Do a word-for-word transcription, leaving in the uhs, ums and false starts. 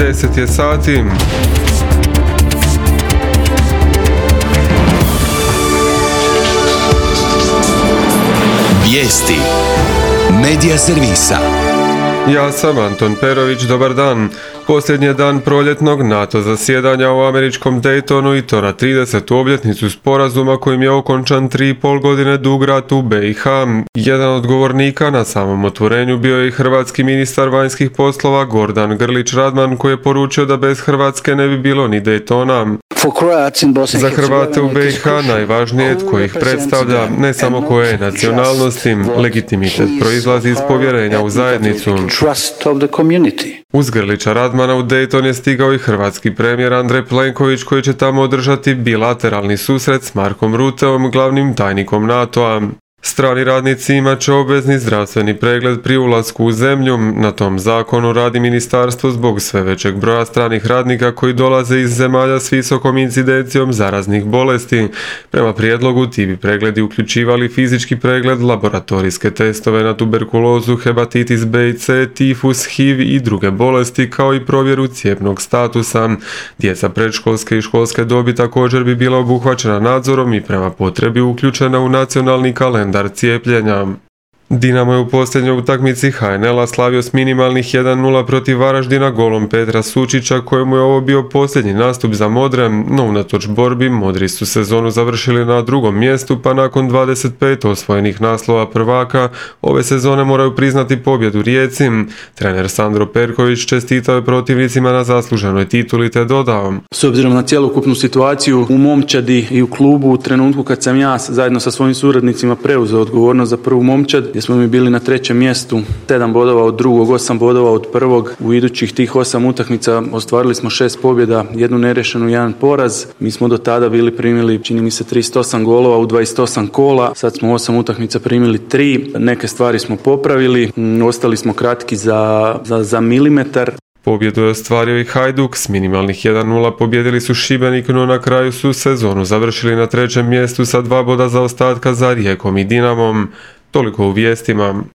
deset je sati. Vijesti Medija servisa. Ja sam Anton Perović, dobar dan. Posljednji je dan proljetnog NATO zasjedanja u američkom Daytonu i to na tridesetu obljetnicu sporazuma kojim je okončan tri i pol godine dug rat u be i ha. Jedan od govornika na samom otvorenju bio je i hrvatski ministar vanjskih poslova Gordan Grlić Radman, koji je poručio da bez Hrvatske ne bi bilo ni Daytona. Za Hrvate u be i ha najvažnije je tko ih predstavlja, ne samo koje je nacionalnosti. Legitimitet proizlazi iz povjerenja u zajednicu. Uz Grlića Radmana u Dayton je stigao i hrvatski premijer Andrej Plenković, koji će tamo održati bilateralni susret s Markom Ruteom, glavnim tajnikom NATO-a. Strani radnici imat će obvezni zdravstveni pregled pri ulasku u zemlju. Na tom zakonu radi ministarstvo zbog sve većeg broja stranih radnika koji dolaze iz zemalja s visokom incidencijom zaraznih bolesti. Prema prijedlogu ti bi pregledi uključivali fizički pregled, laboratorijske testove na tuberkulozu, hepatitis be i ce, tifus, hiv i druge bolesti, kao i provjeru cijepnog statusa. Djeca predškolske i školske dobi također bi bila obuhvaćena nadzorom i prema potrebi uključena u nacionalni kalendar cijepljenja. Dinamo je u posljednjoj utakmici ha en el-a slavio s minimalnih jedan nula protiv Varaždina golom Petra Sučića, kojemu je ovo bio posljednji nastup za Modre, no unatoč borbi Modri su sezonu završili na drugom mjestu, pa nakon dvadeset pet osvojenih naslova prvaka ove sezone moraju priznati pobjedu Rijeci. Trener Sandro Perković čestitao je protivnicima na zasluženoj tituli te dodao: S obzirom na cjelokupnu situaciju u momčadi i u klubu, u trenutku kad sam ja zajedno sa svojim suradnicima preuzeo odgovornost za prvu momčad, gdje smo mi bili na trećem mjestu, sedam bodova od drugog, osam bodova od prvog. U idućih tih osam utakmica ostvarili smo šest pobjeda, jednu nerešenu, jedan poraz. Mi smo do tada bili primili, čini mi se, trideset osam golova u dvadeset osam kola. Sad smo osam utakmica primili tri. Neke stvari smo popravili, ostali smo kratki za, za, za milimetar. Pobjedu je ostvario i Hajduk, s minimalnih jedan nula pobjedili su Šibenik, no na kraju su sezonu završili na trećem mjestu sa dva boda zaostatka za Rijekom i Dinamom. Toliko u vijestima.